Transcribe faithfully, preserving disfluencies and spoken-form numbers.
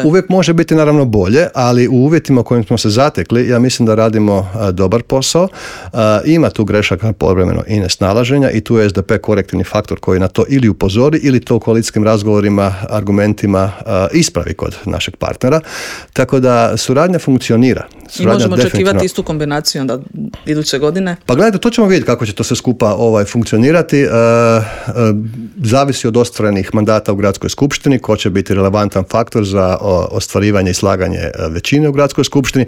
Uvijek može biti naravno bolje, ali u uvjetima u kojim smo se zatekli, ja mislim da radimo a, dobar posao. A, ima tu grešaka povremeno i nesnalaženja i tu je S D P korektivni faktor koji na to ili upozori ili to u koalicijskim razgovorima, argumentima a, ispravi kod našeg partnera. Tako da suradnja funkcionira. Suradnja I možemo definitivno... očekivati istu kombinaciju onda iduće godine? Pa gledajte, to ćemo vidjeti kako će to sve skupa ovaj, funkcionirati. E, e, zavisi od ostvarenih mandata u gradskoj skupštini, ko će biti relevantan faktor za o, ostvarivanje i slaganje većine u gradskoj skupštini.